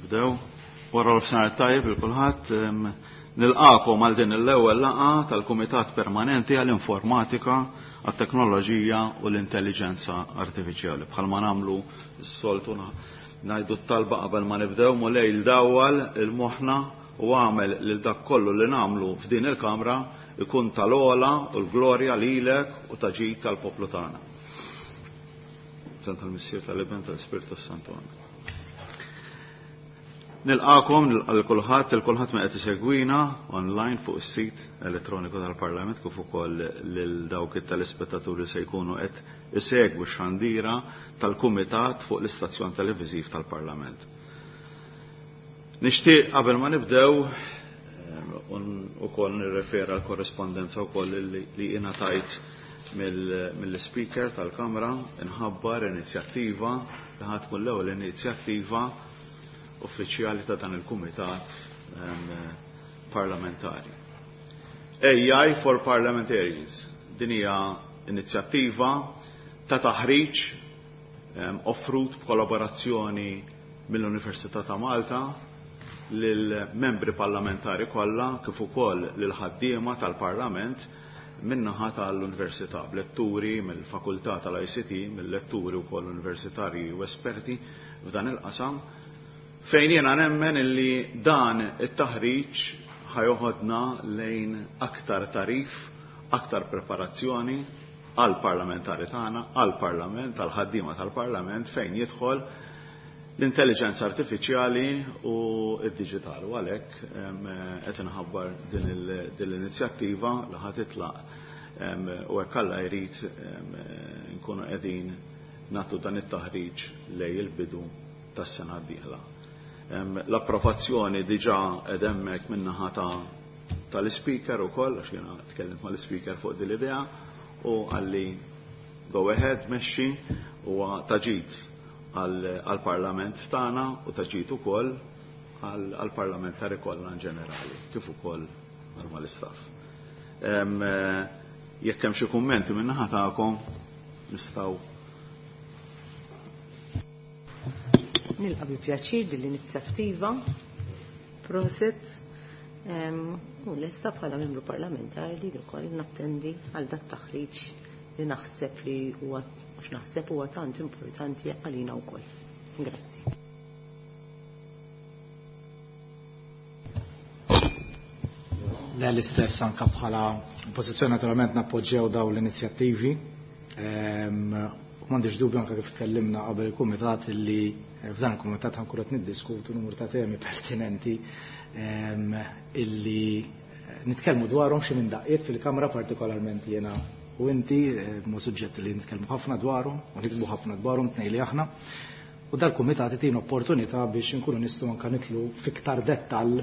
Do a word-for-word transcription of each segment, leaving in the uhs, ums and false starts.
Nibdew. Wara l-fsar tajjeb il kulħadd nilqakom għal din l-ewwel laqgħa tal-Kumitat Permanenti għall-Informatika, għat-Teknoloġija u l-Intelligenza Artifiċjali. Bħalma nagħmlu s-soltu ngħidu t-talba qabel ma nibdew Mulej dawwal il-moħħna u għamel lil dak kollu li nagħmlu f'din il-Kamra ikun tal-ogħla u l-glorja lilek u ta' ġid tal-poplu tagħna. Tal-Missier tal-Iben tal-Ispirtu Santu. Nilqakom għal kulħadd, il kulħadd ma qed isegwina online fuq is-sit elettroniku tal-Parlament kif ukoll lil dawk it-telespettaturi se jkunu qed isegwu x-xandira tal-Kumitat fuq l-istazzjon televiżiv tal-Parlament. Nixtieq qabel ma nibdew ukoll nirrefera l-korrespondenza wkoll li ingħatajt mill-speaker tal-Kamra inħabbar inizjattiva li ħa tkun l-ewwel inizjattiva uffiċjali ta' dan il-Kumitat parlamentari. A I for Parliamentarians. Din hija inizjattiva ta' taħriġ offrut b'kollaborazzjoni mill-Università ta' Malta lill-membri parlamentari kollha kif ukoll lil ħaddiema tal-Parlament min-naħa tal-Università, b'letturi mill-Fakultà tal-I C T, mill-letturi wkoll universitarji u esperti f'dan il-qasam, fejn jiena nemmen illi dan it-taħriġ ħajoħodna lejn aktar tarif, aktar preparazzjoni għall-parlamentari tagħna, għall-parlament, għall-ħaddiema tal-parlament fejn jidħol l-intelligenza artifiċjali u d-diġital. U għalhekk qed inħabbar din l-inizjattiva li ħa titlaq u hekk Alla jrid nkunu qegħdin nagħtu dan it-taħriġ lejn il-bidu tas-sena d-dieħla. L-approvazzjoni diġà qed hemmhekk min-naħa tal-ispeaker ukoll, għax jiena tkellimt mal-ispeaker fuq din l-idea u qalli go ahead, mexxi, huwa taġid għall-parlament tagħna u taġid ukoll għall-parlamentari kollha in ġenerali, kif ukoll mal-istaff. Jekk hemm xi kummenti min-naħa tagħkom nistgħu. Nilqa' bi pjaċir din l-inizjattiva, proset, u lesta bħala membru parlamentari li wkoll nattendi għal dat taħriġ li naħseb li huwa, mhux naħseb, huwa tant importanti għalina wkoll. Grazzi. Le, l-istess anka bħala oppożizzjoni naturalment nappoġġjaw dawn l-inizjattivi. M'għandix dubju anka kif tkellimna qabel il-kumitat li f'dan il-kumitat ħankun qed niddiskutu numru ta' temi pertinenti illi nitkellmu dwarhom xi minn daqqiet fil-Kamra, partikolarment jiena u inti, ma suġġetti li nitkellmu ħafna dwarhom u nikbu ħafna dwarhom tnejn li aħna. U dal-kumitat itina opportunità biex inkunu nistgħu anke nitlu fiktar dettall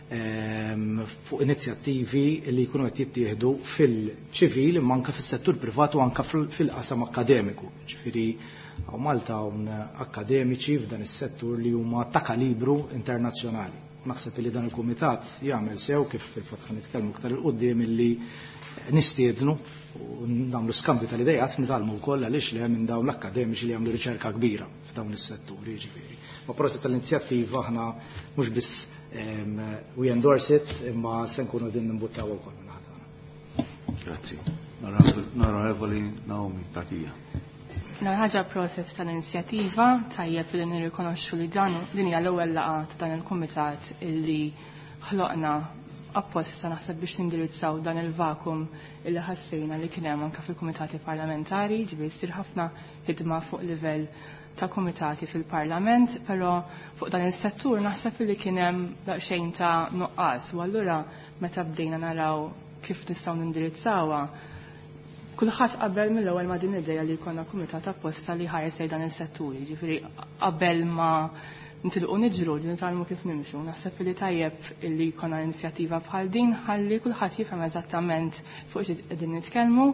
fuq inizjattivi li jkunu qed jittieħdu fil-ċivil imma anke fis-settur privat u anke fil-qasam akkademiku. Ġifieri hawn Malta hawn akkademiċi f'dan is-settur li huma ta' kalibru internazzjonali. Naħseb li dan il-kumitat jagħmel sew kif fil-fatt ħa nitkellmu iktar il quddiem illi nistiednu u nagħmlu skambju tal-idejat, nitgħallmu wkoll għaliex li hemm minn dawn l-akkademiċi li jagħmlu riċerka kbira f'dawn is-setturi, jiġifieri. Ma proset tal-inizjattiva aħna mhux biss we endorse it, imma se nkunu din nimbuttaw ukoll minn ħadd tagħna. Grazzi. Onorevoli Naomi Cachia. Ħaġa proset tal-inizjattiva, tajjeb li nirrikonoxxu li dan din hija l-ewwel laqgħa ta' dan il-kumitat illi ħloqna apposta naħseb biex nindirizzaw dan il-vakum illi ħassejna li kien hemm anke fil-kumitati parlamentari, ġifieri jsir ħafna ħidma fuq livell ta' kumitati fil-parlament, però fuq dan is-settur naħseb li kien hemm daqsxejn ta' nuqqas u allura meta bdejna naraw kif nistgħu nindirizzawha, kulħadd qabel mill-ewwel ma' din l-idea li jkollna kumitat apposta li ħares lejn dan is-settur, jiġifieri qabel ma nitilqu niġru li nitgħallmu kif nimxu. Naħseb li tajjeb illi jkollna inizjattiva bħal din ħalli kulħadd jifhem eżattament fuq xi qegħdin nitkellmu.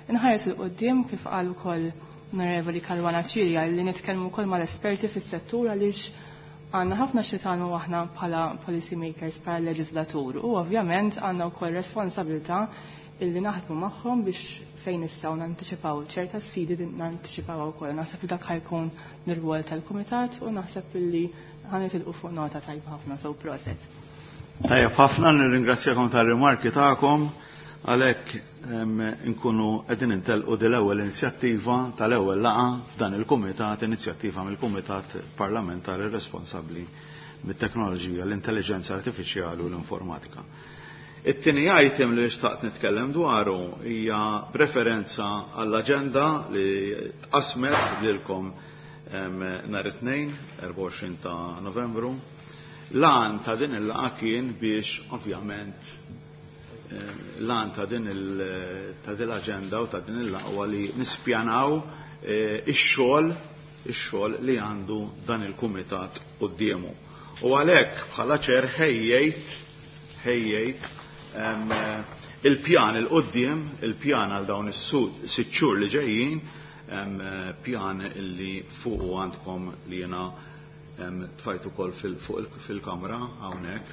Inħares il quddiem kif qal ukoll Onorevoli Caruana Cilia li nitkellmu wkoll mal-esperti fis-settur għaliex għandna ħafna xi tagħmlu aħna bħala policy makers, bħala leġislatur, u ovvjament għandna wkoll responsabilità illi naħdmu magħhom biex fejn nistgħu nantiċipaw ċerta sfidi nantiċipaw ukoll. Naħseb li dak ħajkun l-rwol tal-kumitat u naħseb illi ħanitilqu fuq nota tajba ħafna, so proset. Tajjeb ħafna, nirringrazzjakom tar-rimarki tagħkom, għalhekk nkunu qegħdin intelqu din l-ewwel inizjattiva tal-ewwel laqgħa f'dan il-kumitat, inizjattiva mill-Kumitat Parlamentari responsabbli mit-teknoloġija, l-intelligenza artifiċjali u l-informatika. It-tieni item li xtaqt nitkellem dwaru hija preferenza għall-aġenda li tqasmet lilkom nhar it-tnejn, erbgħa u għoxrin ta' Novembru. L-għan ta' din il-laqgħa kien biex ovvjament l-għan ta' din l-aġenda u ta' din il-laqgħa li nispjanaw ix-xogħol ix-xogħol li għandu dan il-kumitat quddiemu. U għalhekk bħala ċer ħejjejt ħejjejt il-pjan il-qoddim, il-pjan għal dawn is-sitt xhur li ġejjin, pjan li fuq għandkom li jiena tfajt ukoll fil-kamra hawnhekk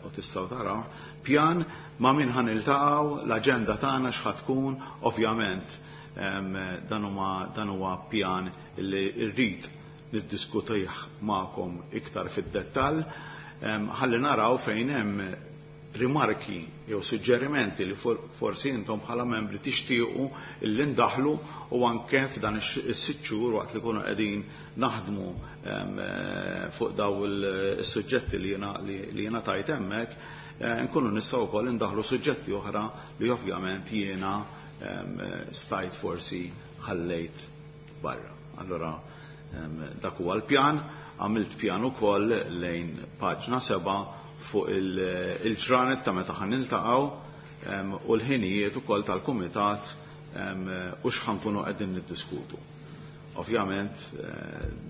u tistgħu taraw. Pjan ma' min ħan iltaqgħu, l-aġenda tagħna x'ħa tkun, ovvjament dan huwa dan huwa pjan li rrid niddiskutih magħkom iktar fid-dettall, ħalli naraw fejn hemm rimarki jew suġġerimenti li forsi intom bħala membri tixtiequ illi ndaħlu u anke f'dan is-sitt xhur waqt li kunu qegħdin naħdmu fuq daw is-suġġetti li jiena li jiena tajt hemmhekk, nkunu nistgħu wkoll indaħlu suġġetti oħra li ovvjament jiena stajt forsi ħallejt barra. Allora dak huwa l-pjan, għamilt pjan ukoll lejn paġna seba' fuq il-ġranet ta' meta ħan niltaqgħu u l-ħinijiet ukoll tal-kumitat u x'ħankunu qegħdin niddiskutu. Ovvjament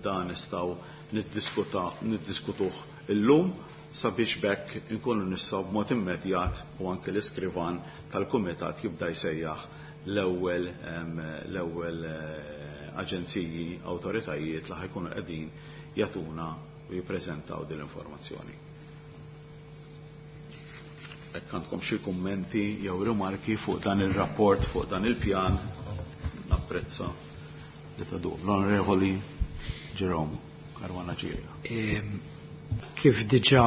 dan nistgħu niddiskutuh illum sabiex bekk inkunu nistgħu b'mod immedjat u anke l-iskrivan tal-kumitat jibda jsejjaħ l-ewwel l-ewwel aġenziji, awtoritajiet li ħajkunu qegħdin jagħtuna u jippreżentaw din l-informazzjoni. Hekk għandkom xi kummenti jew rimarki fuq dan ir-rapport, fuq dan il-pjan, napprezza li tadu. L-Onorevoli Jerome Caruana Cilia. Kif diġà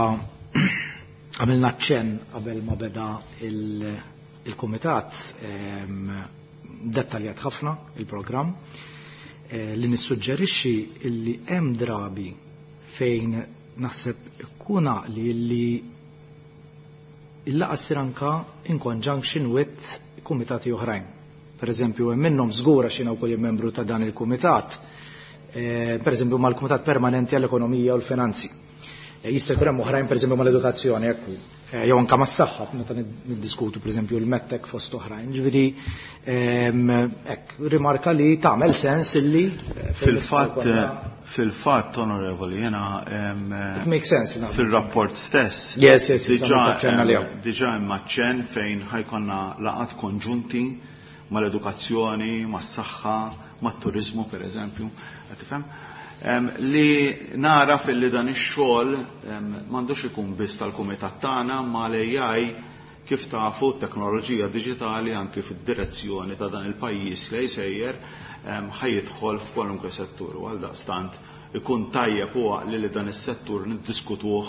għamilna ċen qabel ma beda il-kumitat, dettaljat ħafna il-programm, li nissuġġerixxi illi hemm drabi fejn naħseb ikun għaqli li il-laqgħa ssir anka in conjunction with kumitati oħrajn. Per eżempju, hemm minnhom żgura xi wkoll membru ta' dan il-kumitat, per eżempju mal-Kumitat Permanenti għall-Ekonomija u l-Finanzi. Jista' jkun hemm oħrajn per eżempju mal-edukazzjoni, ekku, jew anke mas-saħħa meta niddiskutu per eżempju l-mettek fost oħrajn. Ġifieri hekk rimarka li tagħmel sens illi fil-fatt fil-fatt onorevoli jiena it makes sense fil-rapport stess. Yes, yes, diġà hemm aċċenn fejn ħajkonna laqgħat konġunti mal-edukazzjoni, mas-saħħa, mat-turiżmu per eżempju, qed tifhem? Li nara fil-li dan ix-xogħol m'għandux ikun biss tal-kumitat tagħna, ma l-A I kif tafu t-teknoloġija diġitali anke fid-direzzjoni ta' dan il-pajjiż li jsejjer ħajjidħol f'kwalunkwe settur u għaldaqstant ikun tajjeb u għaqli li dan is-settur niddiskutuh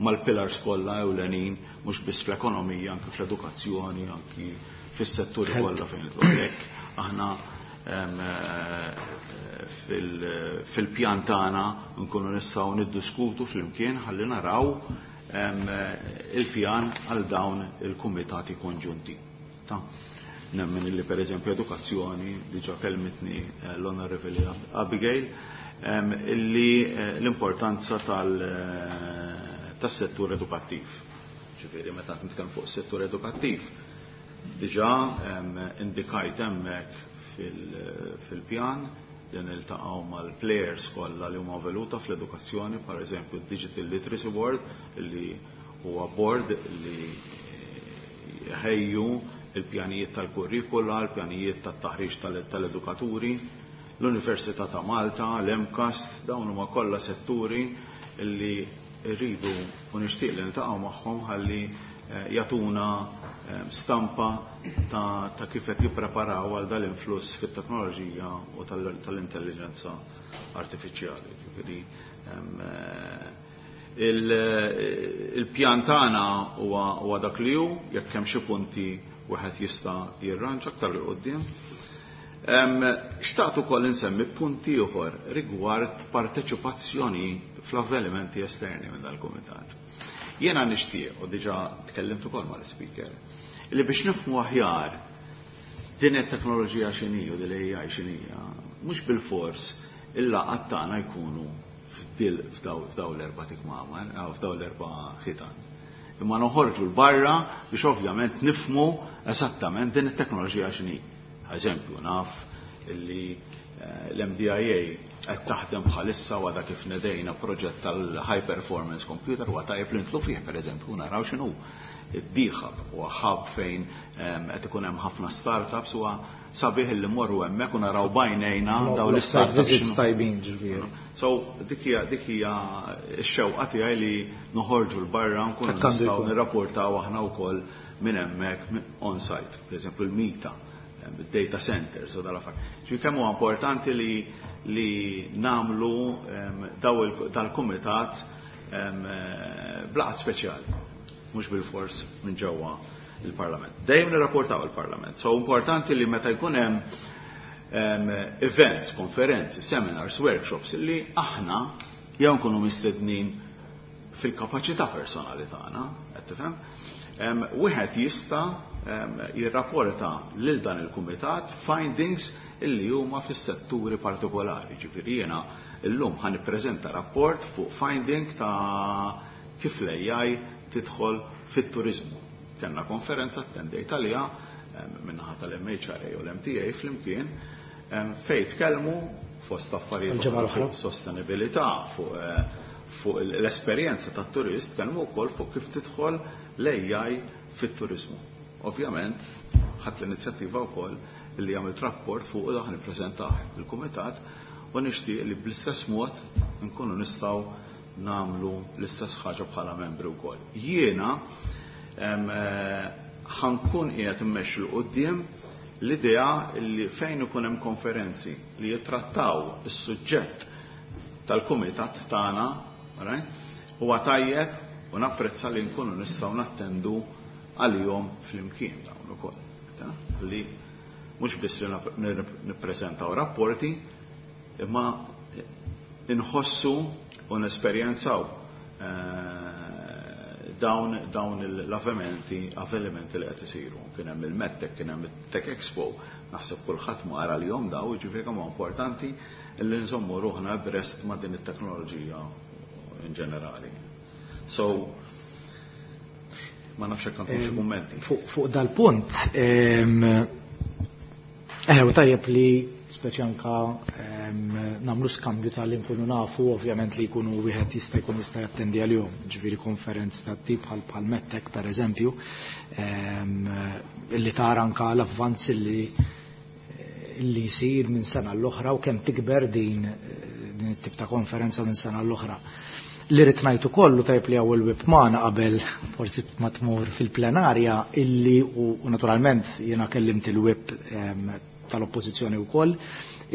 mal-pillars kollha ewlenin mhux biss fl-ekonomija, anke fl-edukazzjoni, anke fis-setturi kollha fejn idħol. Aħna fil-pjan tagħna nkunu nistgħu niddiskutu flimkien ħalli naraw il-pjan għal dawn il-kumitati konġunti. Ta' nemmen illi per eżempju edukazzjoni, diġà kelmitni l-Onorevoli Abigail, illi l-importanza tas-settur edukattiv. Ġifieri meta nitkellem fuq is-settur edukattiv, diġà indikajt hemmhekk fil-pjan li niltaqgħu mal-players kollha li huma veluta fl-edukazzjoni, per eżempju Digital Literacy Board, li huwa board li ħejju il-pjanijiet tal-kurrikula, il-pjanijiet tat-taħriġ tal-edukaturi, l-Università ta' Malta, l-MCAST, dawn huma kollha setturi li rridu u nixtieq li niltaqgħu magħhom ħalli jagħtuna stampa ta', ta kif qed jippreparaw għal dal-influss fit-teknoloġija u tal-intelligenza artifiċjali. Ġifieri il-pjan tagħna huwa dak li hu, jekk hemm xi punti wieħed jista' jirranġa aktar 'l quddiem. Xtaqt ukoll insemmi punti ieħor rigward parteċipazzjoni fl-avvenimenti esterni minn dal-kumitat. Jiena nixtieq, u diġà tkellimt ukoll mal-speaker, li biex nifhmu aħjar din it-teknoloġija x'inhi u din l-A I x'inhija, mhux bilfors il-laqgħat tagħna jkunu f'daw l-erba' tikmamar, f'daw l-erba' ħitan. Imma noħorġu l-barra biex ovvjament nifhmu eżattament din it-teknoloġija x'inhi. Eżempju, naf illi l-M D I A qed taħdem bħalissa u għadha kif nedejna proġett tal-high performance computer huwa tajjeb li nitlu fih pereżempju naraw x'inhu. Id-D-Hub huwa hub fejn qed ikun hemm ħafna startups huwa sabiħ li mmorru hemmhekk u naraw bajnejna dawn l-startups. Visits tajbin ġifieri. So dik hija dik hija x-xewqa tiegħi li noħorġu l barra nkunu nistgħu nirrapportaw aħna wkoll minn hemmhekk on site, pereżempju l-Mita, data centers u dal-affarijiet. Ġifieri kemm huwa importanti li li nagħmlu daw dal-kumitat blaqat speċjali, mhux bil-fors minn ġewwa il-Parlament. Dejjem nirrapportaw il-Parlament. So importanti li meta jkun hemm events, konferenzi, seminars, workshops li aħna jew nkunu mistednin fil-kapaċità personali tagħna, qed tifhem? Wieħed jista' jirrapporta lil dan il-kumitat findings illi huma fis-setturi partikolari. Ġifieri jiena llum ħa nippreżenta rapport fuq finding ta' kif l-A I tidħol fit-turiżmu. Kellna konferenza attendejt għaliha min-naħa tal-M H R A u l-M T A flimkien fejn tkellmu fost affarijiet fuq sostenibilità, fuq fuq l-esperjenza tat-turist, tkellmu wkoll fuq kif tidħol l-A I fit-turiżmu. Ovvjament, ħadd l-inizjattiva wkoll li għamilt rapport fuq u daħ nippreżentah il-kumitat u nixtieq li bl-istess mod nkunu nistgħu nagħmlu l-istess ħaġa bħala membri wkoll. Jiena ħankun qiegħed immexxi l quddiem l-idea li fejn ikun hemm konferenzi li jittrattaw is-suġġett tal-kumitat tagħna, right? Huwa tajjeb u napprezza li nkunu nistgħu nattendu għalihom flimkien dawn ukoll. Li mhux biss li nippreżentaw rapporti, imma inħossu u nesperjenzaw dawn dawn l-avvenimenti avvenimenti li qed isiru. Kien hemm il-Medtech, kien hemm it-Tech Expo, naħseb kulħadd ma qara lihom daw, jiġifieri kemm huwa importanti li nżommu ruħna abreast ma' din it-teknoloġija in ġenerali. So, ma nafx hekk għandkom xi kummenti. Fuq dal-punt, eh, u tajjeb li speċi anka nagħmlu skambju tal-li nkunu nafu, ovvjament li jkunu wieħed jista' jkun jista' jattendi għalihom, ġifieri konferenzi ta' tip bħal bħal Medtech pereżempju, illi tara anka l-avvanz li li jsir minn sena l-oħra u kemm tikber din din it-tip ta' konferenza minn sena l-oħra. Li rrid ngħid ukoll u tajjeb li hawn il-whip magħna qabel forsi ma tmur fil-plenarja illi u naturalment jiena kellimt il-whip tal-oppożizzjoni wkoll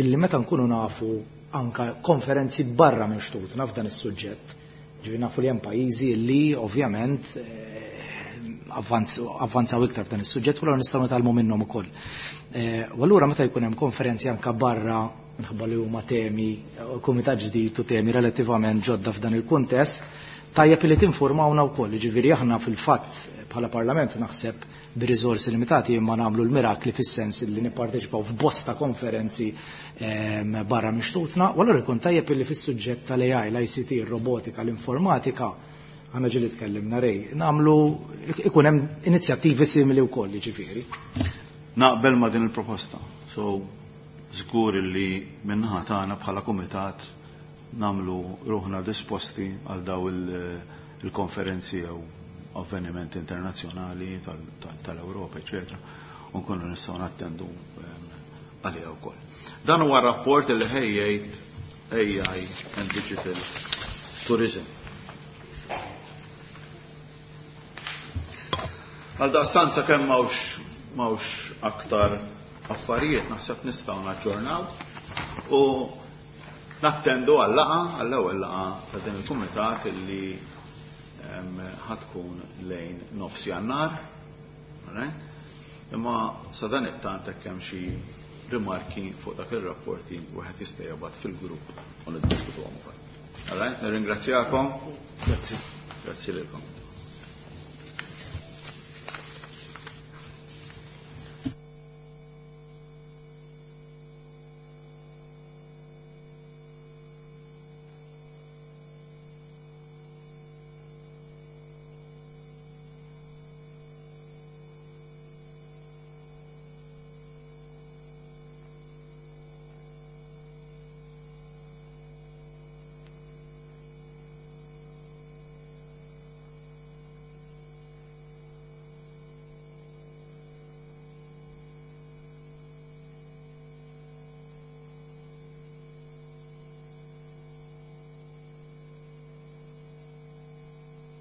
illi meta nkunu nafu anka konferenzi barra minn xtutna f'dan is-suġġett. Ġifieri nafu li hemm pajjiżi li ovvjament avvanzaw iktar f'dan is-suġġett u allura nistgħu nitgħallmu minnhom ukoll. U allura meta jkun hemm konferenzi anka barra minħabba li huma temi, kumitat ġdid u temi relattivament ġodda f'dan il-kuntest, tajjeb li tinformawna wkoll, jiġifieri aħna fil-fatt bħala Parlament naħseb b'riżorsi limitati imma nagħmlu l-mirakli fis-sens li nipparteċipaw f'bosta konferenzi barra minn xtutna, u allura jkun tajjeb li fis-suġġett tal-A I, l-I C T, ir-robotika, l-informatika, aħna ġieli tkellimna rej, nagħmlu ikun hemm inizjattivi simili wkoll, jiġifieri. Naqbel ma' din il-proposta. So, żgur li min-naħa tagħna bħala kumitat nagħmlu ruħna disposti għal daw il-konferenzi jew avvenimenti internazzjonali tal-Ewropa, eċetera, u nkunu nistgħu nattendu għaliha wkoll. Dan huwa rapport li ħejjejt A I and Digital Tourism. Għal daqstant sakemm m'hawnx m'hawnx aktar affarijiet, naħseb nistgħu naġġornaw u nattendu għal-laqgħa, għall-ewwel laqgħa ta' din il-kumitat illi ħa tkun lejn nofs Jannar. Imma sa dan it-tant hekk hemm xi rimarki fuq dak ir-rapporti, wieħed jista' jibgħat fil-grupp u niddiskutuhom ukoll. All right, nirringrazzjakom. Grazzi. Grazzi lilkom.